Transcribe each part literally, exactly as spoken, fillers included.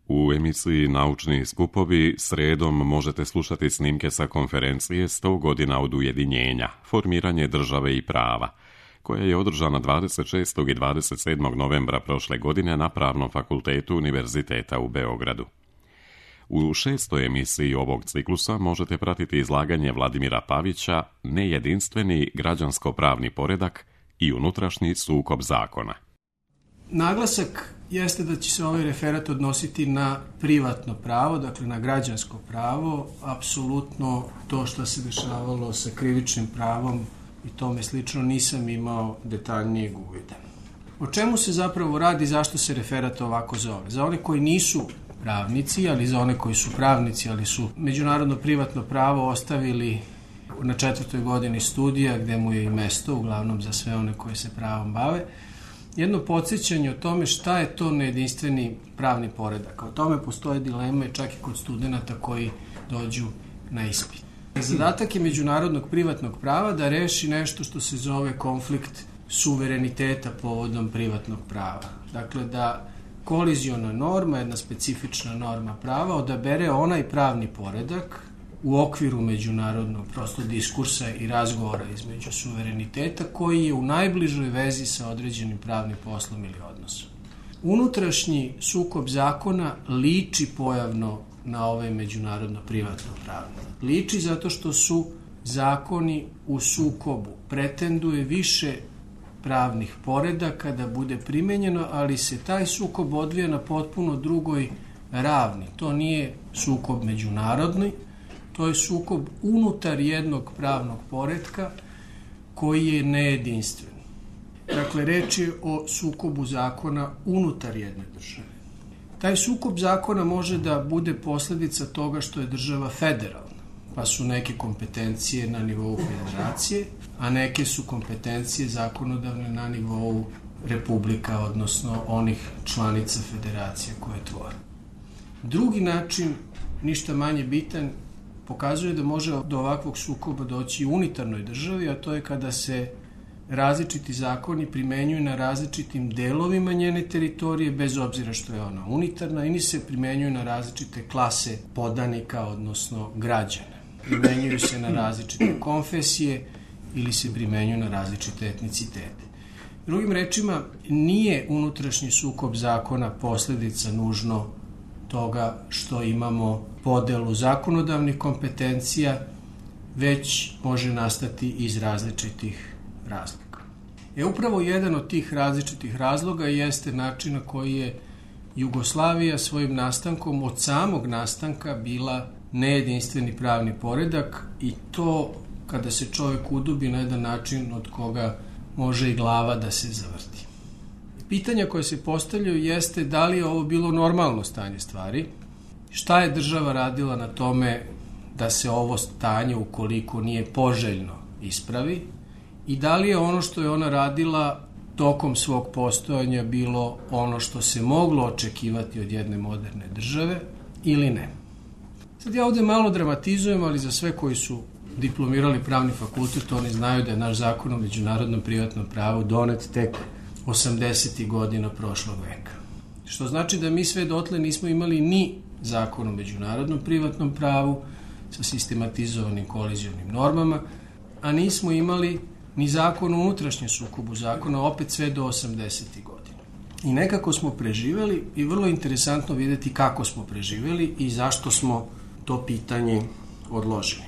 U emisiji Naučni skupovi sredom možete slušati snimke sa konferencije sto godina od ujedinjenja, formiranje države i prava, koja je održana dvadeset šestog i dvadeset sedmog novembra prošle godine na Pravnom fakultetu Univerziteta u Beogradu. U šestoj emisiji ovog ciklusa možete pratiti izlaganje Vladimira Pavića Nejedinstveni građansko-pravni poredak i unutrašnji sukob zakona. Naglasak jeste da će se ovaj referat odnositi na privatno pravo, dakle na građansko pravo, apsolutno to što se dešavalo sa krivičnim pravom i tome slično nisam imao detaljnijeg uvida. O čemu se zapravo radi, zašto se referat ovako zove? Za one koji nisu pravnici, ali za one koji su pravnici, ali su međunarodno privatno pravo ostavili na četvrtoj godini studija, gde mu je i mesto, uglavnom za sve one koji se pravom bave, jedno podsjećanje o tome šta je to nejedinstveni pravni poredak. O tome postoje dileme čak i kod studenta koji dođu na ispit. Zadatak je međunarodnog privatnog prava da reši nešto što se zove konflikt suvereniteta povodom privatnog prava. Dakle, da koliziona norma, jedna specifična norma prava, odabere onaj pravni poredak u okviru međunarodnog prosto diskursa i razgovora između suvereniteta koji je u najbližoj vezi sa određenim pravnim poslom ili odnosom. Unutrašnji sukob zakona liči pojavno na ovaj međunarodno privatno pravo. Liči zato što su zakoni u sukobu, pretenduje više pravnih poredaka da bude primenjeno, ali se taj sukob odvija na potpuno drugoj ravni. To nije sukob međunarodni, to je sukob unutar jednog pravnog poretka koji je nejedinstven. Dakle, reč je o sukobu zakona unutar jedne države. Taj sukob zakona može da bude posledica toga što je država federalna, pa su neke kompetencije na nivou federacije, a neke su kompetencije zakonodavne na nivou republika, odnosno onih članica federacije koje tvore. Drugi način, ništa manje bitan, pokazuje da može do ovakvog sukoba doći u unitarnoj državi, a to je kada se različiti zakoni primenjuju na različitim delovima njene teritorije, bez obzira što je ona unitarna, ili se primenjuju na različite klase podanika, odnosno građana. Primenjuju se na različite konfesije ili se primenjuju na različite etnicitete. Drugim rečima, nije unutrašnji sukob zakona posledica nužno toga što imamo podelu zakonodavnih kompetencija, već može nastati iz različitih razloga. E upravo jedan od tih različitih razloga jeste način na koji je Jugoslavija svojim nastankom od samog nastanka bila nejedinstveni pravni poredak i to kada se čovjek udubi na jedan način od koga može i glava da se zavrti. Pitanja koje se postavljaju jeste da li je ovo bilo normalno stanje stvari, šta je država radila na tome da se ovo stanje, ukoliko nije poželjno, ispravi i da li je ono što je ona radila tokom svog postojanja bilo ono što se moglo očekivati od jedne moderne države ili ne. Sad ja ovde malo dramatizujem, ali za sve koji su diplomirali pravni fakultet, oni znaju da je naš zakon o međunarodnom privatnom pravu donet tek osamdesetih godina prošlog veka. Što znači da mi sve dotle nismo imali ni zakon o međunarodnom privatnom pravu sa sistematizovanim kolizionim normama, a nismo imali ni zakon o unutrašnjem sukobu zakona, opet sve do osamdesetih godina. I nekako smo preživeli i vrlo interesantno videti kako smo preživeli i zašto smo to pitanje odložili.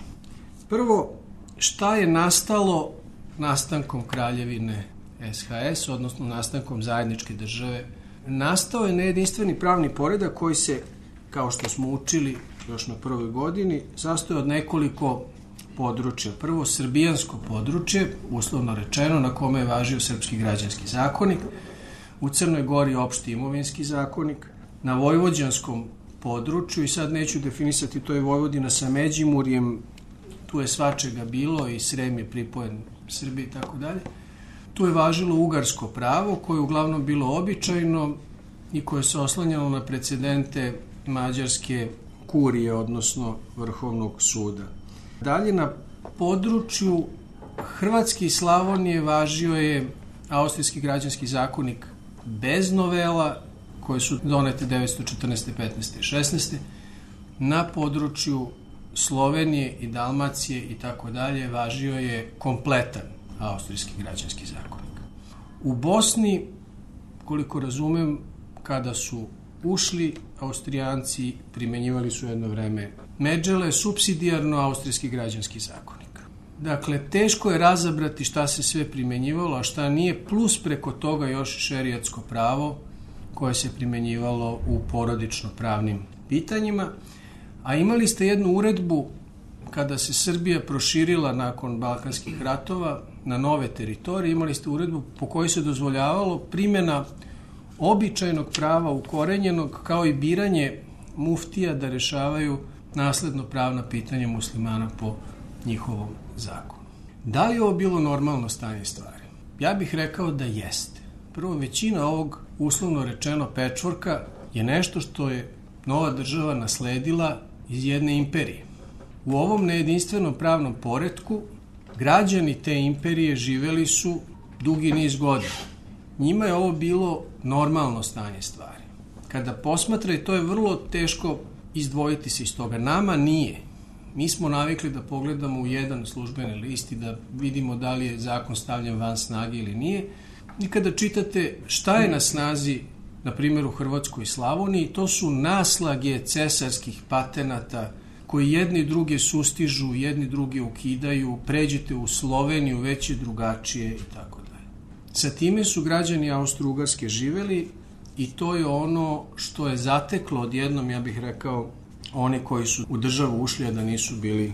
Prvo, šta je nastalo nastankom Kraljevine S H S, odnosno nastankom zajedničke države? Nastao je nejedinstveni pravni poredak koji se, kao što smo učili još na prvoj godini, sastoji od nekoliko područja. Prvo, srbijansko područje, uslovno rečeno, na kome je važio srpski građanski zakonik, u Crnoj Gori opšti imovinski zakonik, na vojvođanskom području, i sad neću definisati, to je Vojvodina sa Međimurjem, tu je svačega bilo i Srem je pripojen Srbiji i tako dalje. Tu je važilo ugarsko pravo, koje je uglavnom bilo običajno i koje se oslanjalo na precedente mađarske kurije, odnosno Vrhovnog suda. Dalje, na području Hrvatske i Slavonije važio je austrijski građanski zakonik bez novela, koje su donete devetsto četrnaeste, petnaeste i šesnaeste na području Slovenije i Dalmacije i tako dalje važio je kompletan austrijski građanski zakonik. U Bosni, koliko razumem, kada su ušli, Austrijanci primenjivali su jedno vreme međele, supsidijarno austrijski građanski zakonik. Dakle, teško je razabrati šta se sve primenjivalo, a šta nije, plus preko toga još šerijatsko pravo koje se primenjivalo u porodično pravnim pitanjima. A imali ste jednu uredbu kada se Srbija proširila nakon Balkanskih ratova na nove teritorije, imali ste uredbu po kojoj se dozvoljavalo primjena običajnog prava ukorenjenog kao i biranje muftija da rešavaju nasledno pravna pitanja muslimana po njihovom zakonu. Da li je ovo bilo normalno stanje stvari? Ja bih rekao da jeste. Prvo, većina ovog uslovno rečeno pečvorka je nešto što je nova država nasledila iz jedne imperije. U ovom nejedinstvenom pravnom poretku građani te imperije živeli su dugi niz godina. Njima je ovo bilo normalno stanje stvari. Kada posmatraju, to je vrlo teško izdvojiti se iz toga. Nama nije. Mi smo navikli da pogledamo u jedan službeni list i da vidimo da li je zakon stavljen van snage ili nije. I kada čitate šta je na snazi, na primjer u Hrvatskoj i Slavoniji, to su naslage cesarskih patenata koji jedni druge sustižu, jedni druge ukidaju, pređete u Sloveniju, već je drugačije i tako dalje. Sa time su građani Austro-Ugarske živeli i to je ono što je zateklo odjednom, ja bih rekao, oni koji su u državu ušli, a da nisu bili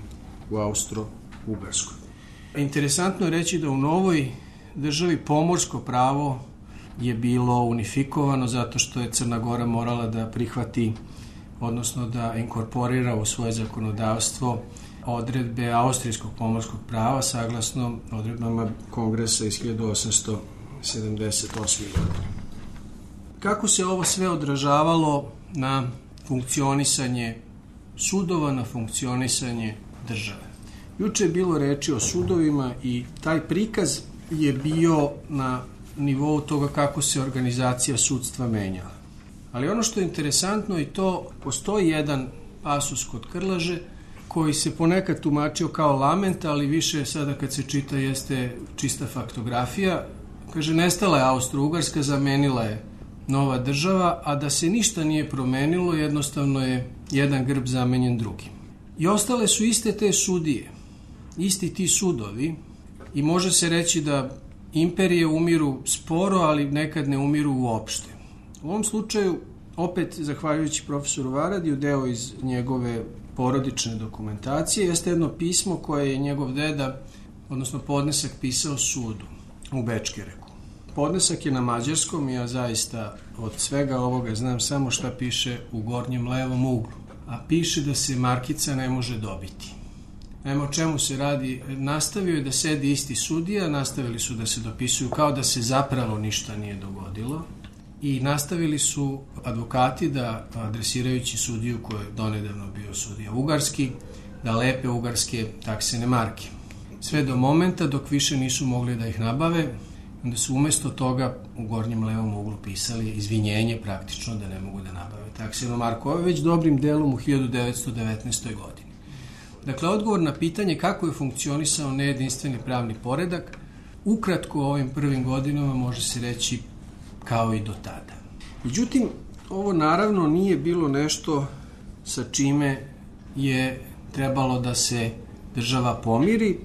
u Austro-Ugarskoj. Interesantno je reći da u novoj državi pomorsko pravo je bilo unifikovano zato što je Crna Gora morala da prihvati, odnosno da inkorporira u svoje zakonodavstvo odredbe austrijskog pomorskog prava saglasno odredbama Kongresa iz hiljadu osamsto sedamdeset osme. godine. Kako se ovo sve odražavalo na funkcionisanje sudova, na funkcionisanje države? Juče je bilo reči o sudovima i taj prikaz je bio na nivou toga kako se organizacija sudstva menjala. Ali ono što je interesantno i to, postoji jedan pasus kod Krleže koji se ponekad tumačio kao lament, ali više sada kad se čita jeste čista faktografija. Kaže, nestala je Austro-Ugarska, zamenila je nova država, a da se ništa nije promenilo, jednostavno je jedan grb zamenjen drugim. I ostale su iste te sudije, isti ti sudovi i može se reći da imperije umiru sporo, ali nekad ne umiru uopšte. U ovom slučaju, opet zahvaljujući profesoru Varadiju, deo iz njegove porodične dokumentacije, jeste jedno pismo koje je njegov deda, odnosno podnesak, pisao sudu u Bečkereku. Podnesak je na mađarskom i ja zaista od svega ovoga znam samo šta piše u gornjem levom uglu. A piše da se markica ne može dobiti. Nema o čemu se radi. Nastavio je da sedi isti sudija, nastavili su da se dopisuju kao da se zapravo ništa nije dogodilo i nastavili su advokati da, adresirajući sudiju koji je donedavno bio sudija ugarski, da lepe ugarske taksene marke. Sve do momenta dok više nisu mogli da ih nabave, onda su umesto toga u gornjem levom uglu pisali izvinjenje praktično da ne mogu da nabave taksenu marku. Ovo je već dobrim delom u hiljadu devetsto devetnaestoj. godini. Dakle, odgovor na pitanje kako je funkcionisao nejedinstveni pravni poredak, ukratko u ovim prvim godinama može se reći kao i do tada. Međutim, ovo naravno nije bilo nešto sa čime je trebalo da se država pomiri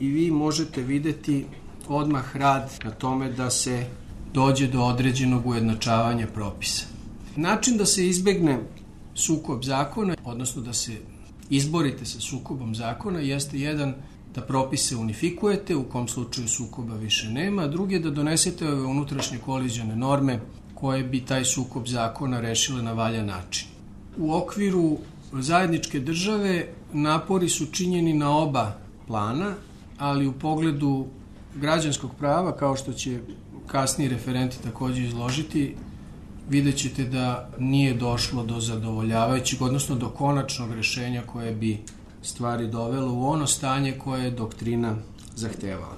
i vi možete videti odmah rad na tome da se dođe do određenog ujednačavanja propisa. Način da se izbegne sukob zakona, odnosno da se izborite sa sukobom zakona, jeste jedan da propise unifikujete, u kom slučaju sukoba više nema, a drugi je da donesete ove unutrašnje kolizione norme koje bi taj sukob zakona rešile na valjan način. U okviru zajedničke države napori su činjeni na oba plana, ali u pogledu građanskog prava, kao što će kasniji referenti također izložiti, vidjet ćete da nije došlo do zadovoljavajućeg, odnosno do konačnog rešenja koje bi stvari dovelo u ono stanje koje je doktrina zahtevala.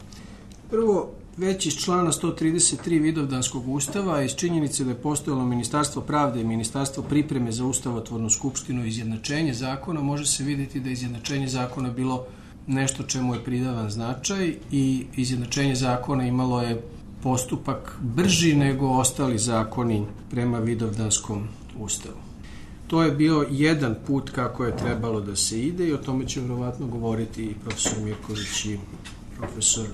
Prvo, već iz člana sto trideset tri Vidovdanskog ustava, iz činjenice da je postojalo Ministarstvo pravde i Ministarstvo pripreme za ustavotvornu skupštinu i izjednačenje zakona, može se vidjeti da je izjednačenje zakona bilo nešto čemu je pridavan značaj i izjednačenje zakona imalo je postupak brži nego ostali zakoni prema Vidovdanskom ustavu. To je bio jedan put kako je trebalo da se ide i o tome će vjerovatno govoriti i profesor Mirković i profesor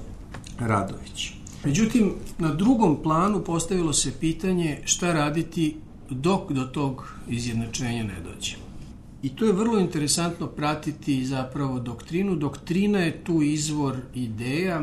Radović. Međutim, na drugom planu postavilo se pitanje šta raditi dok do tog izjednačenja ne dođe. I to je vrlo interesantno pratiti zapravo doktrinu. Doktrina je tu izvor ideja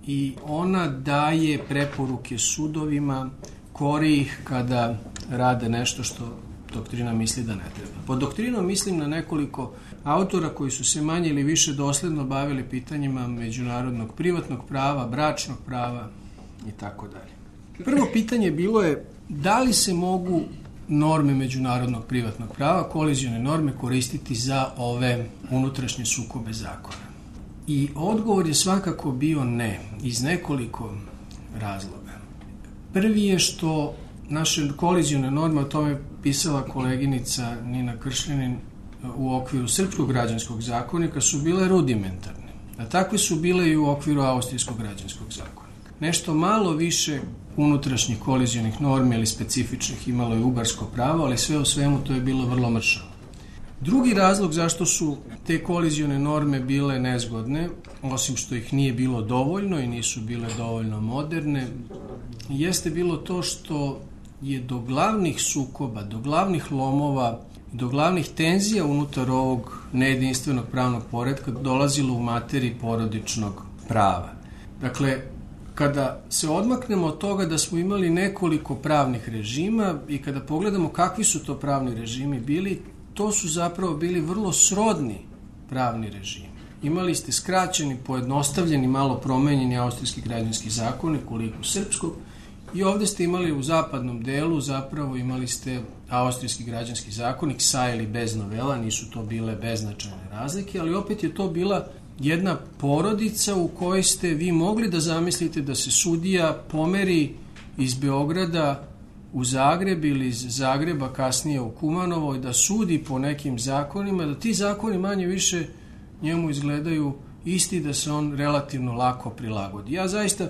i ona daje preporuke sudovima, kori ih kada rade nešto što doktrina misli da ne treba. Pod doktrinom mislim na nekoliko autora koji su se manje ili više dosledno bavili pitanjima međunarodnog privatnog prava, bračnog prava i tako dalje. Prvo pitanje bilo je da li se mogu norme međunarodnog privatnog prava, kolizione norme, koristiti za ove unutrašnje sukobe zakona. I odgovor je svakako bio ne, iz nekoliko razloga. Prvi je što naše kolizione norme, o tome pisala koleginica Nina Kršljanin u okviru Srpskog građanskog zakonika, su bile rudimentarne. A takve su bile i u okviru Austrijskog građanskog zakonika. Nešto malo više unutrašnjih kolizionih normi ili specifičnih imalo je ugarsko pravo, ali sve u svemu to je bilo vrlo mršavo. Drugi razlog zašto su te kolizione norme bile nezgodne, osim što ih nije bilo dovoljno i nisu bile dovoljno moderne, jeste bilo to što je do glavnih sukoba, do glavnih lomova, do glavnih tenzija unutar ovog nejedinstvenog pravnog poretka dolazilo u materiji porodičnog prava. Dakle, kada se odmaknemo od toga da smo imali nekoliko pravnih režima i kada pogledamo kakvi su to pravni režimi bili, to su zapravo bili vrlo srodni pravni režimi. Imali ste skraćeni, pojednostavljeni, malo promenjeni austrijski građanski zakonik u liku srpskog i ovdje ste imali u zapadnom delu, zapravo imali ste austrijski građanski zakonik sa ili bez novela, nisu to bile beznačajne razlike, ali opet je to bila jedna porodica u kojoj ste vi mogli da zamislite da se sudija pomeri iz Beograda u Zagreb ili iz Zagreba kasnije u Kumanovo i da sudi po nekim zakonima, da ti zakoni manje više njemu izgledaju isti, da se on relativno lako prilagodi. Ja zaista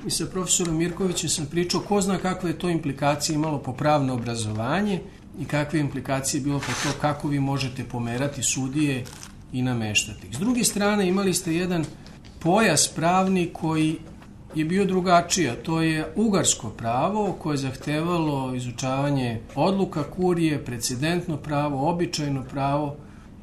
i sa profesorom Mirkovićem sam pričao ko zna kakve je to implikacije imalo po pravno obrazovanje i kakve implikacije bilo po to kako vi možete pomerati sudije i nameštati. S druge strane imali ste jedan pojas pravni koji je bio drugačiji, a to je ugarsko pravo koje je zahtevalo izučavanje odluka kurije, precedentno pravo, običajno pravo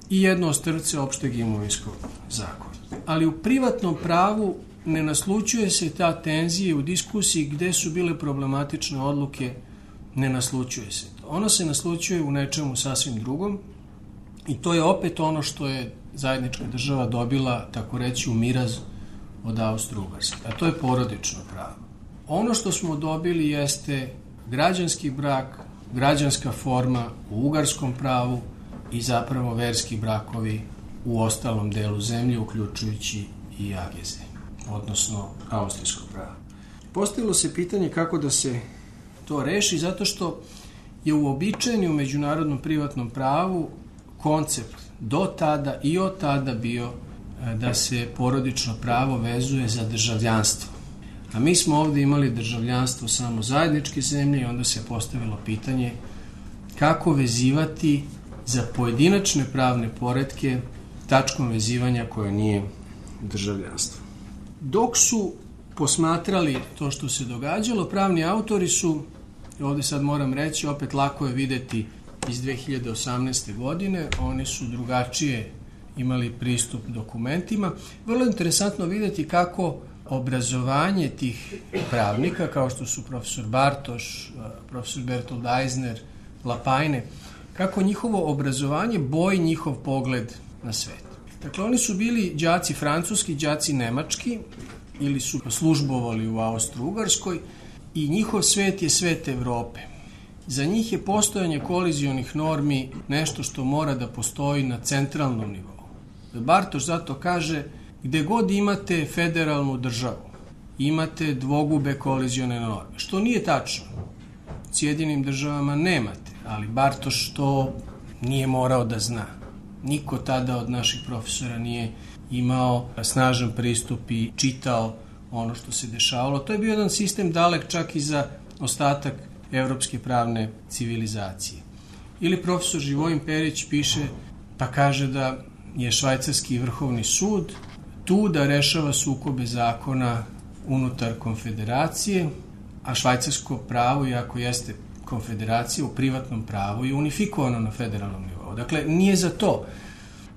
i jedno ostrvce opšteg imovinskog zakona. Ali u privatnom pravu ne naslučuje se ta tenzija u diskusiji gde su bile problematične odluke, ne naslučuje se to. Ono se naslučuje u nečemu sasvim drugom i to je opet ono što je zajednička država dobila, tako reći, u miraz od Austro-Ugarske, a to je porodično pravo. Ono što smo dobili jeste građanski brak, građanska forma u ugarskom pravu i zapravo verski brakovi u ostalom delu zemlje, uključujući i ageze, odnosno austrijsko pravo. Postavilo se pitanje kako da se to reši, zato što je uobičajeni u međunarodnom privatnom pravu koncept do tada i od tada bio da se porodično pravo vezuje za državljanstvo. A mi smo ovdje imali državljanstvo samo zajedničke zemlje i onda se postavilo pitanje kako vezivati za pojedinačne pravne poretke tačkom vezivanja koje nije državljanstvo. Dok su posmatrali to što se događalo, pravni autori su, ovdje sad moram reći, opet lako je videti iz dve hiljade osamnaeste. godine, oni su drugačije imali pristup dokumentima. Vrlo interesantno vidjeti kako obrazovanje tih pravnika, kao što su profesor Bartoš, profesor Bertold Eisner, Lapajne, kako njihovo obrazovanje boji njihov pogled na svet. Dakle, oni su bili đaci francuski, đaci nemački, ili su službovali u Austro-Ugarskoj i njihov svet je svet Evrope. Za njih je postojanje kolizionih normi nešto što mora da postoji na centralnom nivou. Bartoš zato kaže, gde god imate federalnu državu imate dvogube kolizione norme, što nije tačno. U Sjedinjenim Državama nemate, ali Bartoš to nije morao da zna. Niko tada od naših profesora nije imao snažan pristup i čitao ono što se dešavalo. To je bio jedan sistem dalek čak i za ostatak evropske pravne civilizacije. Ili profesor Živojin Perić piše pa kaže da je švajcarski vrhovni sud tu da rešava sukobe zakona unutar konfederacije, a švajcarsko pravo, iako jeste konfederacija, u privatnom pravu je unifikovano na federalnom nivou. Dakle, nije za to.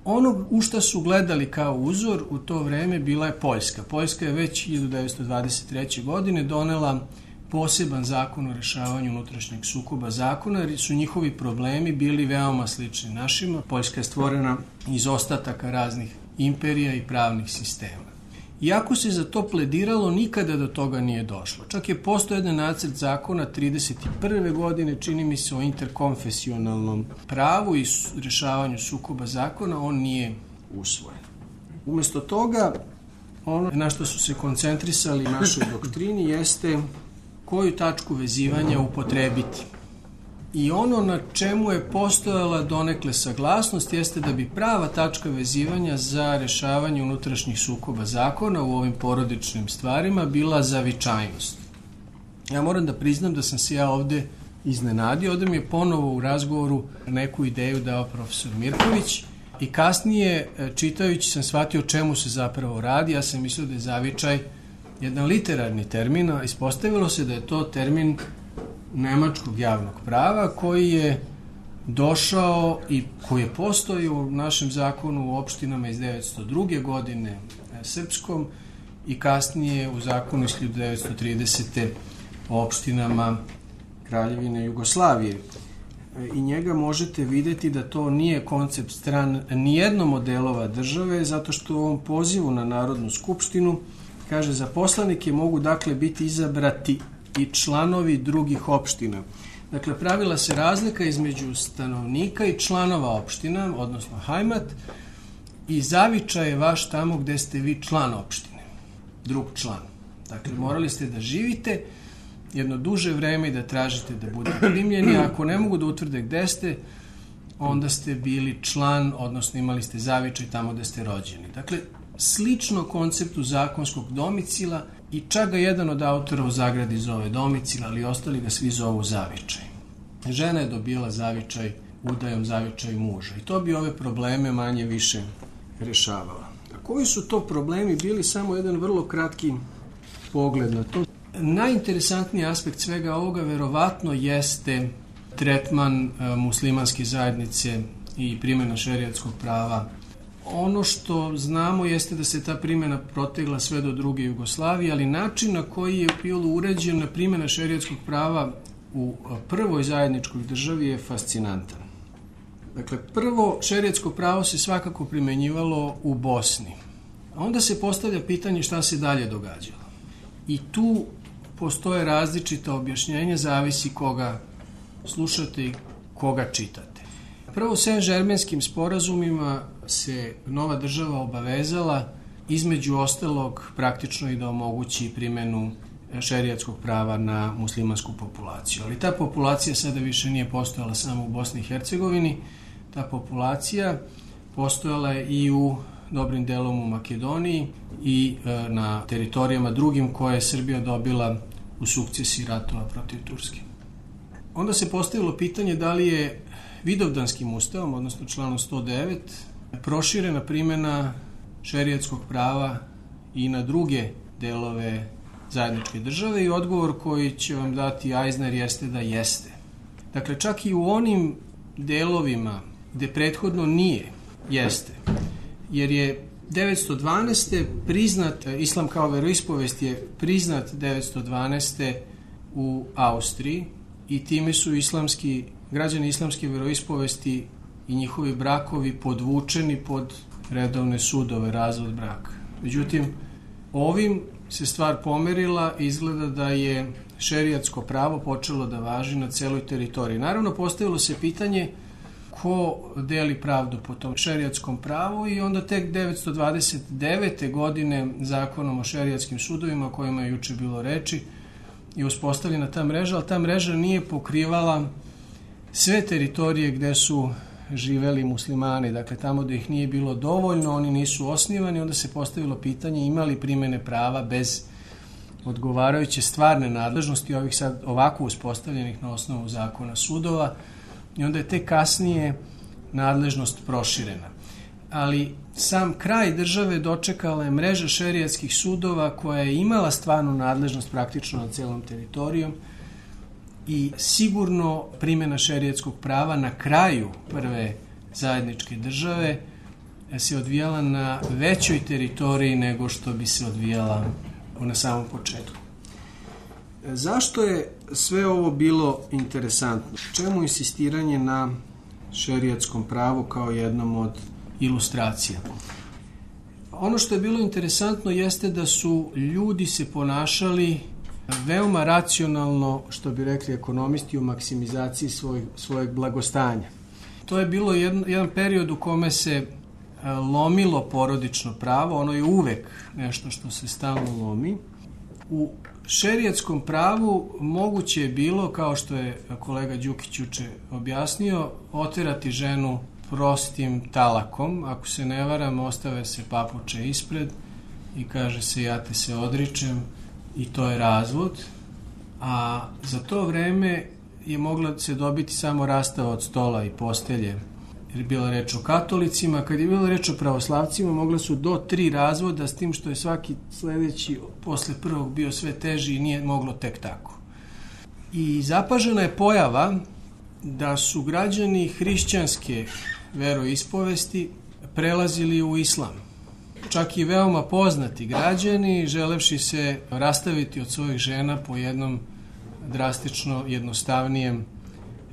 Ono u šta su gledali kao uzor u to vreme bila je Poljska. Poljska je već hiljadu devetsto dvadeset treće. godine donela poseban zakon o rešavanju unutrašnjeg sukoba zakona, jer su njihovi problemi bili veoma slični našima. Poljska je stvorena iz ostataka raznih imperija i pravnih sistema. Iako se za to plediralo, nikada do toga nije došlo. Čak je postojao jedan nacrt zakona trideset prve. godine, čini mi se, o interkonfesionalnom pravu i rešavanju sukoba zakona, on nije usvojen. Umesto toga, ono na što su se koncentrisali u našoj doktrini jeste koju tačku vezivanja upotrebiti. I ono na čemu je postojala donekle saglasnost jeste da bi prava tačka vezivanja za rešavanje unutrašnjih sukoba zakona u ovim porodičnim stvarima bila zavičajnost. Ja moram da priznam da sam se ja ovde iznenadio, ovde mi je ponovo u razgovoru neku ideju dao profesor Mirković i kasnije čitajući sam shvatio o čemu se zapravo radi. Ja sam mislio da je zavičaj jedan literarni termin, a ispostavilo se da je to termin nemačkog javnog prava koji je došao i koji je postojao u našem zakonu u opštinama iz devetsto druge. godine srpskom i kasnije u zakonu iz hiljadu devetsto tridesete. o opštinama Kraljevine Jugoslavije. I njega možete videti da to nije koncept stran nijednom od delova države, zato što u ovom pozivu na Narodnu skupštinu kaže za poslanike mogu dakle biti izabrati i članovi drugih opština. Dakle, pravila se razlika između stanovnika i članova opština, odnosno hajmat, i zavičaj je vaš tamo gde ste vi član opštine, drug član. Dakle, morali ste da živite jedno duže vreme i da tražite da budete primljeni, a ako ne mogu da utvrde gde ste, onda ste bili član, odnosno imali ste zavičaj tamo gde ste rođeni. Dakle, slično konceptu zakonskog domicila i čak ga jedan od autora u zagradi zove domicila, ali ostali ga svi zovu zavičaj. Žena je dobila zavičaj udajom zavičaj muža i to bi ove probleme manje više rešavala. A koji su to problemi bili? Samo jedan vrlo kratki pogled na to. Najinteresantniji aspekt svega ovoga verovatno jeste tretman e, muslimanske zajednice i primjena šerijatskog prava. Ono što znamo jeste da se ta primjena protegla sve do druge Jugoslavije, ali način na koji je bilo uređena primjena šerijatskog prava u prvoj zajedničkoj državi je fascinantan. Dakle, prvo šerijatsko pravo se svakako primenjivalo u Bosni. A onda se postavlja pitanje šta se dalje događalo. I tu postoje različita objašnjenja, zavisi koga slušate i koga čitate. Prvo, Saint-Germainskim sporazumima se nova država obavezala između ostalog praktično i da omogući primjenu šerijatskog prava na muslimansku populaciju. Ali ta populacija sada više nije postojala samo u Bosni i Hercegovini, ta populacija postojala je i u dobrim delom u Makedoniji i e, na teritorijama drugim koje je Srbija dobila u sukcesiji ratova protiv Turske. Onda se postavilo pitanje da li je Vidovdanskim ustavom, odnosno članom sto devet, proširena primjena šerijatskog prava i na druge delove zajedničke države i odgovor koji će vam dati Eisner jeste da jeste. Dakle, čak i u onim delovima gde prethodno nije, jeste. Jer je devetsto dvanaeste priznat, islam kao veroispovest je priznat devetsto dvanaeste u Austriji i time su islamski, građani islamske veroispovesti i njihovi brakovi podvučeni pod redovne sudove, razvod braka. Međutim, ovim se stvar pomerila i izgleda da je šerijatsko pravo počelo da važi na celoj teritoriji. Naravno, postavilo se pitanje ko deli pravdu po tom šerijatskom pravu i onda tek devetsto dvadeset devete. godine zakonom o šerijatskim sudovima, o kojima je juče bilo reči, je uspostavljena ta mreža, ali ta mreža nije pokrivala sve teritorije gde su živeli muslimani, dakle tamo gde ih nije bilo dovoljno, oni nisu osnivani, onda se postavilo pitanje imali primene prava bez odgovarajuće stvarne nadležnosti ovih sad ovako uspostavljenih na osnovu zakona sudova i onda je tek kasnije nadležnost proširena. Ali sam kraj države dočekala je mreža šerijatskih sudova koja je imala stvarnu nadležnost praktično na celom teritorijom i sigurno primjena šerijatskog prava na kraju prve zajedničke države se odvijala na većoj teritoriji nego što bi se odvijala na samom početku. Zašto je sve ovo bilo interesantno? Čemu insistiranje na šerijatskom pravu kao jednom od ilustracija? Ono što je bilo interesantno jeste da su ljudi se ponašali veoma racionalno, što bi rekli ekonomisti, u maksimizaciji svoj, svojeg blagostanja. To je bilo jedan, jedan period u kome se lomilo porodično pravo, ono je uvek nešto što se stalno lomi. U šerijatskom pravu moguće je bilo, kao što je kolega Đukić juče objasnio, oterati ženu prostim talakom. Ako se ne varam, ostave se papuče ispred i kaže se ja te se odričem i to je razvod. A za to vreme je mogla se dobiti samo rastava od stola i postelje. Jer je bila reč o katolicima, kad je bila reč o pravoslavcima, mogla su do tri razvoda, s tim što je svaki sledeći posle prvog bio sve teži i nije moglo tek tako. I zapažena je pojava da su građani hrišćanske veroispovesti prelazili u islam. Čak i veoma poznati građani, želevši se rastaviti od svojih žena po jednom drastično jednostavnijem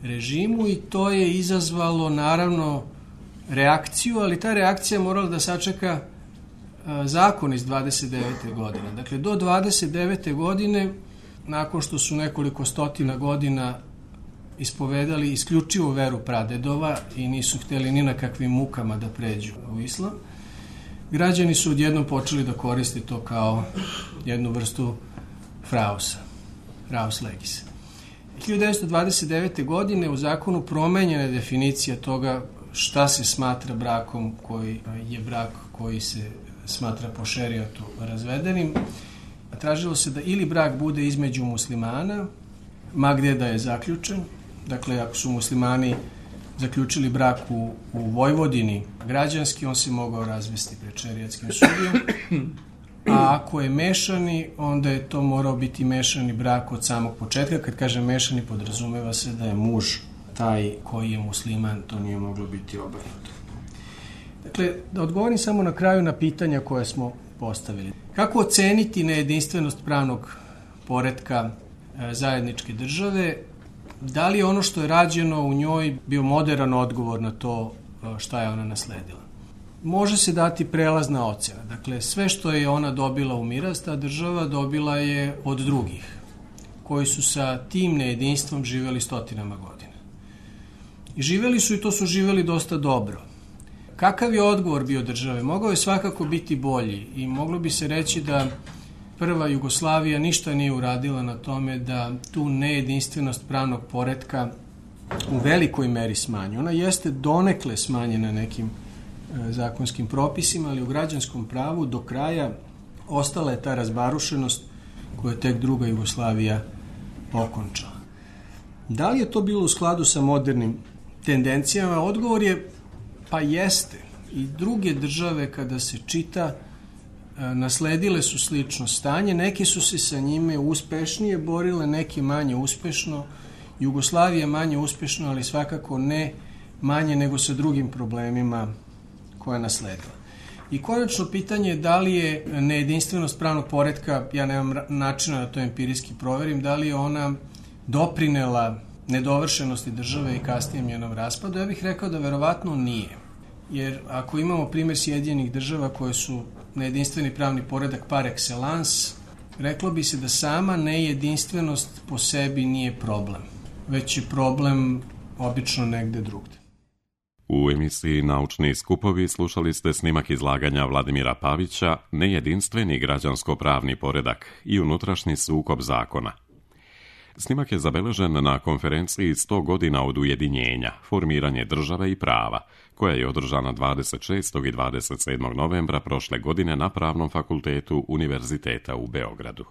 režimu, i to je izazvalo naravno reakciju, ali ta reakcija morala da sačeka zakon iz dvadeset devete. godine. Dakle, do dvadeset devete. godine, nakon što su nekoliko stotina godina ispovedali isključivo veru pradedova i nisu hteli ni na kakvim mukama da pređu u islam, građani su odjednom počeli da koriste to kao jednu vrstu frausa, fraus legis. hiljadu devetsto dvadeset devete. godine u zakonu promenjena je definicija toga šta se smatra brakom, koji je brak koji se smatra po šerijatu razvedenim. Tražilo se da ili brak bude između muslimana, ma gde da je zaključen, dakle ako su muslimani zaključili brak u, u Vojvodini građanski, on se mogao razvesti pred šerijatskim sudijom, a ako je mešani, onda je to morao biti mešani brak od samog početka. Kad kaže mešani, podrazumeva se da je muž taj koji je musliman, to nije moglo biti obrnuto. Dakle, da odgovorim samo na kraju na pitanja koje smo postavili. Kako oceniti nejedinstvenost pravnog poretka e, zajedničke države? Da li je ono što je rađeno u njoj bio moderan odgovor na to šta je ona nasledila? Može se dati prelazna ocena. Dakle, sve što je ona dobila u miraz, ta država dobila je od drugih, koji su sa tim nejedinstvom živeli stotinama godina. I živeli su, i to su živeli dosta dobro. Kakav je odgovor bio države? Mogao je svakako biti bolji i moglo bi se reći da prva Jugoslavija ništa nije uradila na tome da tu nejedinstvenost pravnog poretka u velikoj meri smanji. Ona jeste donekle smanjena nekim e, zakonskim propisima, ali u građanskom pravu do kraja ostala je ta razbarušenost koju je tek druga Jugoslavija okončala. Da li je to bilo u skladu sa modernim tendencijama? Odgovor je pa jeste. I druge države, kada se čita, nasledile su slično stanje, neke su se sa njime uspešnije borile, neke manje uspešno. Jugoslavija manje uspešno, ali svakako ne manje nego sa drugim problemima koje je nasledila. I konačno pitanje je da li je nejedinstvenost pravnog poretka, ja nemam načina da to empirijski proverim, da li je ona doprinela nedovršenosti države i kasnijem njenom raspadu. Ja bih rekao da verovatno nije. Jer ako imamo primjer Sjedinjenih država koje su nejedinstveni pravni poredak par excellence, reklo bi se da sama nejedinstvenost po sebi nije problem, već je problem obično negde drugde. U emisiji Naučni skupovi slušali ste snimak izlaganja Vladimira Pavića Nejedinstveni građansko-pravni poredak i unutrašnji sukob zakona. Snimak je zabeležen na konferenciji sto godina od ujedinjenja, formiranje države i prava, koja je održana dvadeset šestog i dvadeset sedmog novembra prošle godine na Pravnom fakultetu Univerziteta u Beogradu.